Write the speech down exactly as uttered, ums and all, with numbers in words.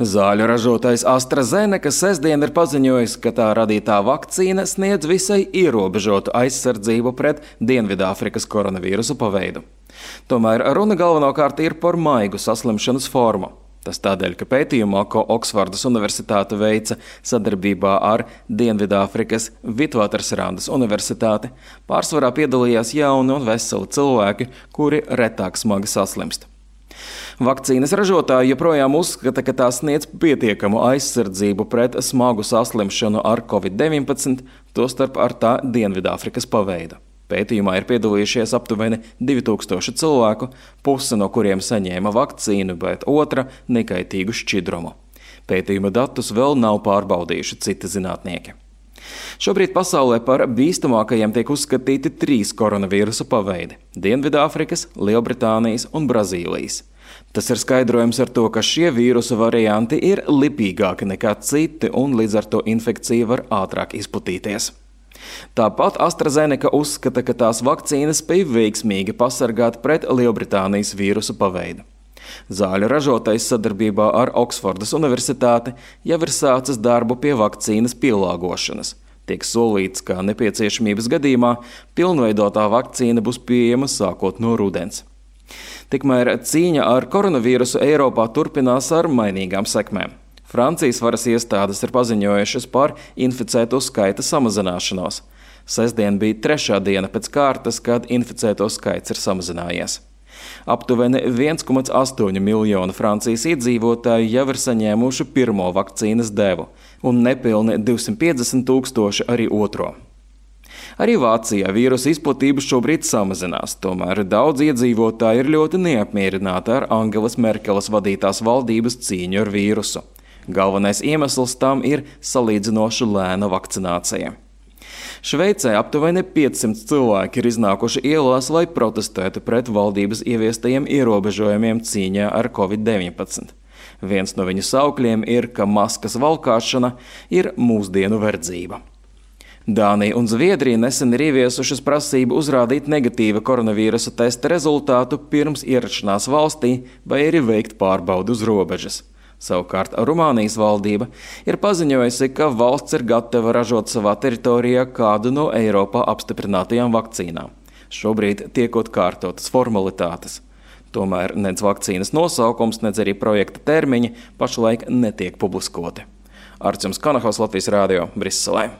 Zāļu ražotājs AstraZeneca sestdien ir paziņojis, ka tā radītā vakcīna sniedz visai ierobežotu aizsardzību pret Dienvidāfrikas koronavīrusa paveidu. Tomēr runa galvenokārt ir par maigu saslimšanas formu. Tas tādēļ, ka pētījumā, ko Oksfordas universitāte veica sadarbībā ar Dienvidāfrikas Vitvatersrandas universitāti, pārsvarā piedalījās jauni un veseli cilvēki, kuri retāk smagi saslimst. Vakcīnas ražotāji joprojām uzskata, ka tā sniedz pietiekamu aizsardzību pret smagu saslimšanu ar covid deviņpadsmit, tostarp ar tā Dienvidāfrikas paveidu. Pētījumā ir piedalījušies aptuveni divi tūkstoši cilvēku, puse no kuriem saņēma vakcīnu, bet otra nekaitīgu šķidrumu. Pētījuma datus vēl nav pārbaudījuši citi zinātnieki. Šobrīd pasaulē par bīstamākajiem tiek uzskatīti trīs koronavīrusa paveidi – Dienvidāfrikas, Lielbritānijas un Brazīlijas. Tas ir skaidrojums ar to, ka šie vīrusa varianti ir lipīgāki nekā citi un līdz ar to infekcija var ātrāk izplatīties. Tāpat AstraZeneca uzskata, ka tās vakcīnas spēj veiksmīgi pasargāt pret Lielbritānijas vīrusa paveidu. Zāļu ražotais sadarbībā ar Oksfordas universitāti jau ir sācis darbu pie vakcīnas pielāgošanas. Tiek solīts, ka nepieciešamības gadījumā pilnveidotā vakcīna būs pieejama sākot no rudens. Tikmēr cīņa ar koronavīrusu Eiropā turpinās ar mainīgām sekmēm. Francijas varas iestādes ir paziņojušas par inficēto skaita samazināšanos. Sestdien bija trešā diena pēc kārtas, kad inficēto skaits ir samazinājies. Aptuveni viens komats astoņi miljoni Francijas iedzīvotāju jau ir saņēmuši pirmo vakcīnas devu, un nepilni divsimt piecdesmit tūkstoši arī otro. Arī Vācijā vīrusa izplatība šobrīd samazinās, tomēr daudz iedzīvotāji ir ļoti neapmierināti ar Angelas Merkeles vadītās valdības cīņu ar vīrusu. Galvenais iemesls tam ir salīdzinoši lēna vakcinācija. Šveicē aptuveni piecsimt cilvēki ir iznākuši ielās, lai protestētu pret valdības ieviestajiem ierobežojumiem cīņā ar covid deviņpadsmit. Viens no viņu saukļiem ir, ka maskas valkāšana ir mūsdienu verdzība. Dānija un Zviedrija nesen ir ieviesušas prasību uzrādīt negatīva koronavīrusa testa rezultātu pirms ierašanās valstī vai arī veikt pārbaudi uz robežas. Savukārt Rumānijas valdība ir paziņojusi, ka valsts ir gatava ražot savā teritorijā kādu no Eiropā apstiprinātajām vakcīnām. Šobrīd tiekot kārtotas formalitātes. Tomēr nec vakcīnas nosaukums, nec arī projekta termiņi pašlaik netiek publiskoti. Arčuns Kanahaus, Latvijas Rādio, Briselē.